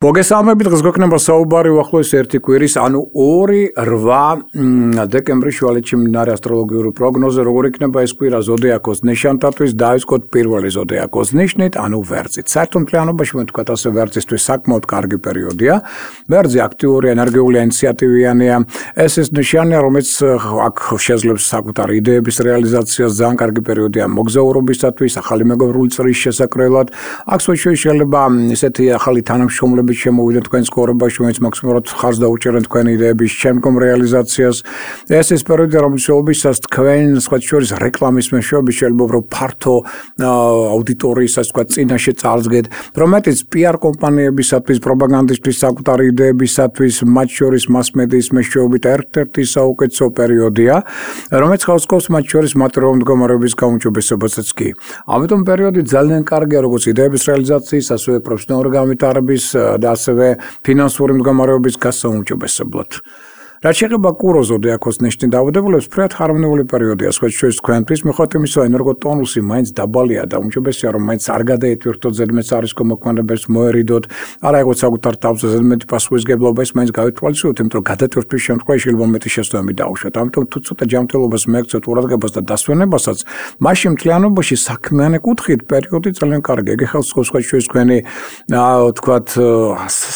მოგესალმებით, დღეს გვექნება საუბარი უახლოეს ერთი კვირის, ანუ 2-8 დეკემბრის შუალედში მიმდინარე ასტროლოგიური პროგნოზე, როგორ იქნება ეს კვირა ზოდიაქოს ნიშანთათვის, დავიწყოთ პირველი ზოდიაქოს ნიშნით, ანუ ვერძით. საერთო მთლიანობაში მე ვთქვათ ასე, ვერძისთვის საკმაოდ კარგი პერიოდია. ვერძი აქტიური, ენერგიული, ინიციატივიანია. ეს ნიშანია, რომელიც აქ შეძლებს საკუთარი იდეების რეალიზაციას, ძალიან კარგი პერიოდია მოგზაურობისათვის, ახალი მეგობრული წრის შესაქმნელად. აქ შეიძლება ისეთი ახალი თანამშრომლები შემოვიდნენ თქვენ ცხოვრებაში, რომელიც მაქსიმალურად ხარს დაუჭერენ თქვენი იდეების შემდგომ რეალიზაციას. ეს ის პერიოდი, რომელშიც თქვენ სხვა შორის რეკლამის მეშვეობით შეიძლება უფრო ფართო აუდიტორიისას თქვა წინაშე წარსდგეთ, რომლებიც PR კომპანიებისათვის, პროპაგანდისტის საკუთარი იდეებისათვის, მათ შორის მასმედიის მეშვეობით ერთ-ერთი საუკეთესო პერიოდია, რომელიც ხავსკობს მათ შორის მატერიალური მდგომარეობის გაუმჯობესებასაც კი. ამიტომ პერიოდი ძალიან კარგია როგორც იდეების რეალიზაციის, ასევე პროფესიონალური განვითარების და ასევე ფინანსური მდგომარეობის გასაუმჯობესებლად. რაც შეეხება კურო ზოდიაქოს ნიშნით დაავადებულებს, ფრედ ჰარმონიული პერიოდია სხვა შორის თქვენთვის, მიუხედავად იმისა, ენერგოტონუსი მაინც დაბალია და უმჯობესია, რომ მაინც არ გადაეტვირთოთ ზედმეტ არისკო მოქმედებებს მოერიდოთ, არა ეგოც საკუთარ თავზე ზედმეტი პასუხისგებლობა ის მაინც გავითვალისწინოთ, იმიტომ რომ გადატვირთვის შემთხვევაში შეიძლება მეტი შესაბამი დაუშვათ. ამიტომ თუ ცოტა ჯანმრთელობას მეგცეთ ყურადღებას და დასვენებასაც, მაშინ მთლიანობაში საქმიანი კუთხით პერიოდი ძალიან კარგია. იგი ხელს სხობს სხვა შორის თქვენი თქვათ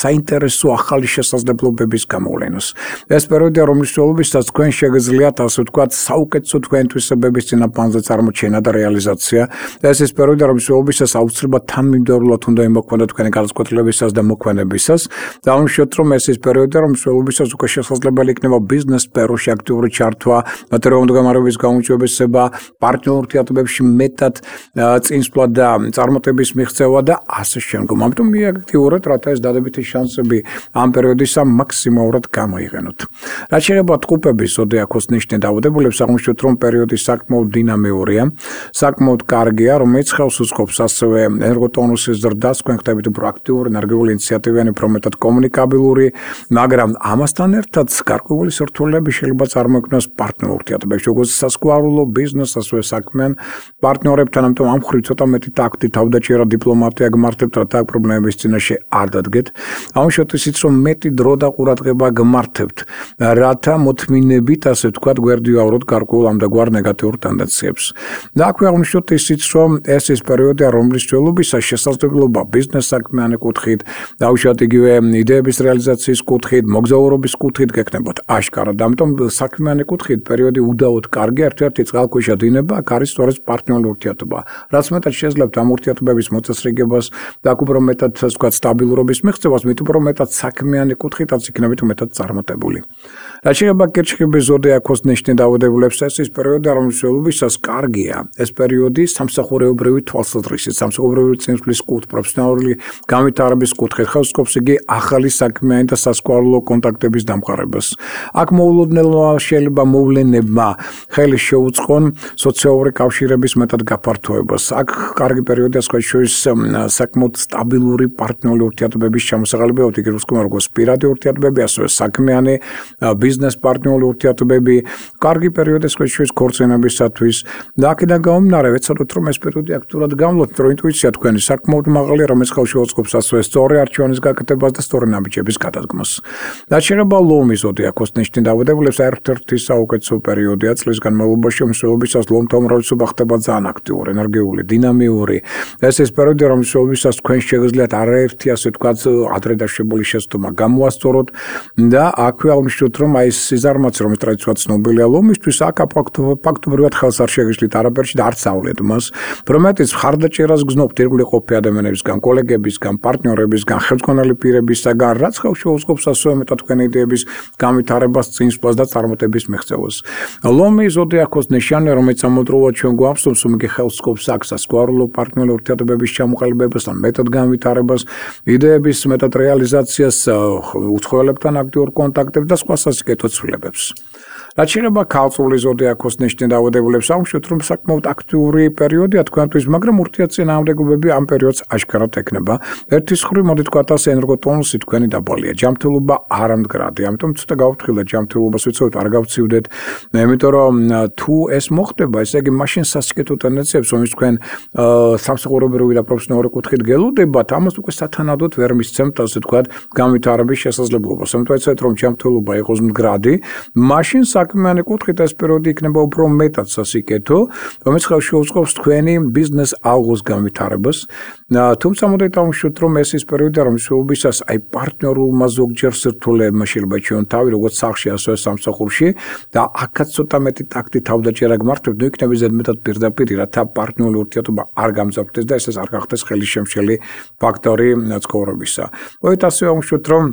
საინტერესო ახალი შესაძლებლობების გამოვლენას. ეს პერიოდია, რომლის მსვლელობისას თქვენ შეგიძლიათ ასე ვთქვათ საუკეთესო თქვენთვისებების წინაპანზე წარმოჩენა და რეალიზაცია. ეს ის პერიოდია, რომლის მსვლელობისას აუცილებლად თანმიმდევრულად უნდა იმოქმედოთ თქვენი განსაკუთრებისას და მოქმედებისას. დავუშვათ, რომ ეს ის პერიოდია, რომლის მსვლელობისას უკვე შესაძლებელი იქნება ბიზნეს სფეროში აქტიური ჩართვა, მატერიალური მდგომარეობის გაუმჯობესება, პარტნიორ ურთიერთობებში მეტად წინსვლა და წარმატების მიღწევა და ასე შემდგომ. ამიტომ მიაქტიურეთ, რათა ეს დადებითი შანსები ამ პერიოდისა მაქსიმალურად გამოიყენოთ. რაც შეეხება ტყუპების ზოდიაქოს ნიშნით დაავადებულებს, აღმოჩნდეთ, რომ პერიოდი საკმაოდ დინამიურია, საკმაოდ კარგია, რომელიც ხელს უწყობს ასევე ენერგოტონუსის ზრდას, თქვენ ხდებით უფრო აქტიური, ენერგიული, ინიციატივიანი, უფრო მეტად კომუნიკაბილური, მაგრამ ამასთან ერთად გარკვეული სირთულეები შეიძლება წარმოიქმნას პარტნიორ ურთიერთობებში, როგორც სასკვარულო ბიზნეს, ასევე საქმიან პარტნიორებთან, ამიტომ ამ მხრივ ცოტა მეტი ტაქტი, თავდაჭერა, დიპლომატია გმართებთ, რათა აქ პრობლემების წინაშე არ დადგეთ. ამუშავეთ ისიც, რომ მეტი დრო და ყურადღება გმართებთ, რათა მოთმინებით, ასე ვთქვათ, გვერდივავროთ გარკვეულ ამდაგვარ ნეგატიურ ტენდენციებს. და აქვე აღნიშნოთ ისიც, რომ ეს ის პერიოდია, რომლის მსვლელობისას შესაძლებლობა ბიზნეს საქმიანი კუთხით, დაუშვათ იგივე იდეების რეალიზაციის კუთხით, მოგზაურობის კუთხით გექნებათ აშკარად. ამიტომ საქმიანი კუთხით პერიოდი უდაოდ კარგია, ერთ-ერთი წყალქვეშა დინება აქ არის სწორედ პარტნიორული ურთიერთობა. რაც მეტად შეძლებთ ამ ურთიერთობების მოწესრიგებას და აქ უფრო მეტად, ასე ვთქვათ, სტაბილურობის მიღწევას, მით უფრო მეტად საქმიანი კუთხითაც იქნებით მეტად წარმატებული. რაც შეეხება კირჩხიბის ზოდიაქოს ნიშნით დაავადებულებს, ეს ის პერიოდია, რომლის მსვლელობისას კარგია. ეს პერიოდი სამსახურეობრივი თვალსაზრისით, სამსახურეობრივი წინსვლის კუთხით, პროფესიონალური განვითარების კუთხით ხელს უწყობს იგი ახალი საქმიანი და სასკვარულო კონტაქტების დამყარებას. აქ მოულოდნელობა შეიძლება მოვლენებმა ხელი შეუწყონ სოციალური კავშირების მეტად გაფართოებას. აქ კარგი პერიოდია სხვა შორის საკმაოდ სტაბილური პარტნიორული ურთიერთობების ჩამოსაღებად, იგივე როგორც პირადი ურთიერთობები, ასევე საქმიანი ბიზნეს პარტნიორული ურთიერთობები, კარგი პერიოდი სხვა შორის ქორწინებისათვის და აქედან გამომდინარე ვეცადოთ, რომ ეს პერიოდი აქტიურად გამოვიდეთ, რომ ინტუიცია თქვენი საკმაოდ მაღალია, რომელიც ხელს შეუწყობს ასევე სწორი არჩევანის გაკეთებას და სწორი ნაბიჯების გადადგმას. რაც შეეხება ლომის ზოდიაქოს ნიშნით დაავადებულებს, ერთ-ერთი საუკეთესო პერიოდია წლის განმავლობაში, მსვლელობისას ლომთა უმრავლესობა ხდება ძალიან აქტიური, ენერგიული, დინამიური. ეს ის პერიოდია, რომლის მსვლელობისას თქვენ შეგიძლიათ არაერთი, ასე ვთქვათ, ადრე დაშვებული შეცდომა გამოასწოროთ და აქვე აღნიშნოთ, რომ აი ეს სიზარმაცე, რომელიც ტრადიციულად ცნობილია ლომისთვის, აქ ფაქტობრივად ხელს არ შეგიშლით არაფერში და არც ავლეთ მას, რომლებიც ხარდაჭერას გზნობთ ირგვლივ ყოფილი ადამიანებისგან, კოლეგებისგან, პარტნიორებისგან, ხელმძღვანელი პირებისგან, რაც ხელს შეუწყობს ასევე მეტად თქვენი იდეების განვითარებას, წინსვლას და წარმატების მიღწევას. ლომის ზოდიაქოს ნიშანი, რომელიც ამავდროულად ჩვენ გვახსოვს, რომ იგი ხელს უწყობს აქ სასკვარულო პარტნიორული ურთიერთობების ჩამოყალიბებას, ან მეტად განვითარებას, იდეების მეტად რეალიზაციას, უცხოელებთან აქტიურ კონტაქტებს და სხვა სასიკეთო ცვლილებებს. რაც შეეხება ქალწულის ზოდიაქოს ნიშნის დაავადებულებს, ამშვით რომ საკმაოდ აქტიური პერიოდია თქვენთვის, მაგრამ ურთიერთწინააღმდეგობები ამ პერიოდს აშკარად ექნება. ერთის მხრივ მოდი თქვათ ასე ენერგოტონუსი თქვენი დაბალია, ჯანმრთელობა არამდგრადი, ამიტომ ცოტა გავფრთხილდეთ ჯანმრთელობას ვიცოდეთ, არ გავცივდეთ, იმიტომ რომ თუ ეს მოხდება, ესე იგი მაშინ სასიკეთო ტენდენციებს, რომელიც თქვენ სამსახურებრივი და პროფესიონალური კუთხით გელოდებათ, ამას უკვე სათანადოდ ვერ მისცემთ, ასე თქვათ, განვითარების შესაძლებლობას. ამიტომ ეცეთ რომ ჯანმრთელობა იყოს მდგრადი, მაშინ საქმიანი კუთხით ეს პერიოდი იქნება უფრო მეტად სასიკეთო, რომელიც ხელს შეუწყობს თქვენი ბიზნეს ალღოს განვითარებას. თუმცა მოდით დავუშვათ, რომ ეს ის პერიოდია, რომელშიც აი პარტნიორულმა ზოგჯერ სირთულეებმა შეიძლება ჩვენ თავი როგორც სახლში, ასევე სამსახურში და აქაც ცოტა მეტი ტაქტი თავდაჭერა გმართებთ, ნუ იქნება ზედმეტად პირდაპირ, რათა პარტნიორული ურთიერთობა არ გამძაფრდეს და ეს არ გახდეს ხელისშემშელი ფაქტორი ცხოვრებისა. მოდით ასე დავუშვათ, რომ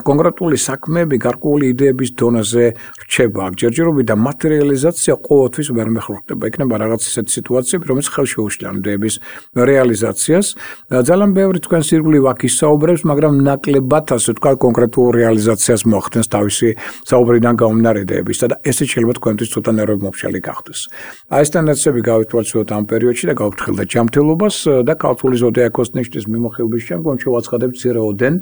კონკრეტული საქმეები გარკვეული იდეების დონეზე რჩება, ჯერჯერობით და მატერიალიზაცია ყოველთვის ვერ მეხურდება. იქნება რაღაც ისეთი სიტუაციები, რომელიც ხელს შეუშლიან ამ იდეების რეალიზაციას. ძალიან ბევრი თქვენს ირგვლივ აქ ისაუბრებს, მაგრამ ნაკლებად, ასე ვთქვათ, კონკრეტულ რეალიზაციას მოახდენს თავისი საუბრიდან გამომდინარე იდეებისა და ესეც შეიძლება თქვენთვის ცოტა ნერვმომშალი გახდეს. აი ეს ტენდენციები გავითვალისწინოთ ამ პერიოდში და გავფრთხილდეთ ჯანმრთელობას და ქალწულის ზოდიაქოს ნიშნის მიმოხილვის შემდგომ შევაცხადებთ მცირეოდენ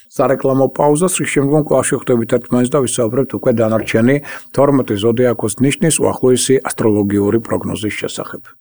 სარეკლამო პაუზას, რის შემდგომ კვლავ შევხვდებით ერთმანეთს და ვისაუბრებთ უკვე დანარჩენი 12 ზოდიაქოს ნიშნის უახლოესი ასტროლოგიური პროგნოზის შესახებ.